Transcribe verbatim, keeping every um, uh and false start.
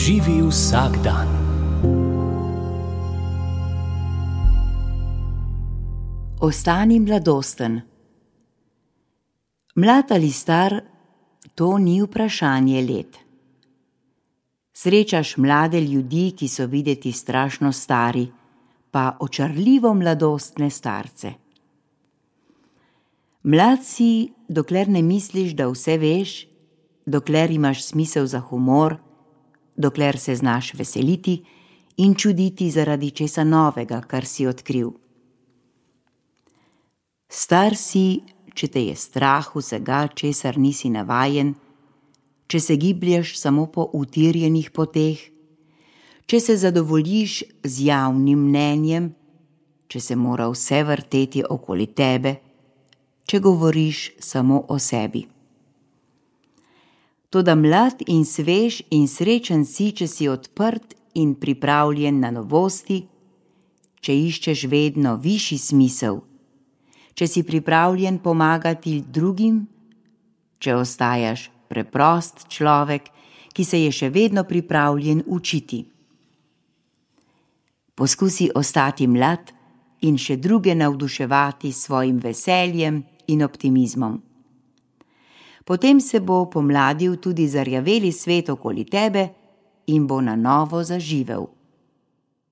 Živi vsak dan. Ostani mladosten. Mlad ali star, to ni vprašanje let. Srečaš mlade ljudi, ki so videti strašno stari, pa očarljivo mladostne starce. Mlad si, dokler ne misliš, da vse veš, dokler imaš smisel za humor, dokler se znaš veseliti in čuditi zaradi česa novega, kar si odkril. Star si, če te je strah vsega, česar nisi navajen, če se giblješ samo po utirjenih poteh, če se zadovoljiš z javnim mnenjem, če se mora vse vrteti okoli tebe, če govoriš samo o sebi. Toda mlad in svež in srečen si, če si odprt in pripravljen na novosti, če iščeš vedno višji smisel, če si pripravljen pomagati drugim, če ostajaš preprost človek, ki se je še vedno pripravljen učiti. Poskusi ostati mlad in še druge navduševati s svojim veseljem in optimizmom. Potem se bo pomladil tudi zarjaveli svet okoli tebe in bo na novo zaživel.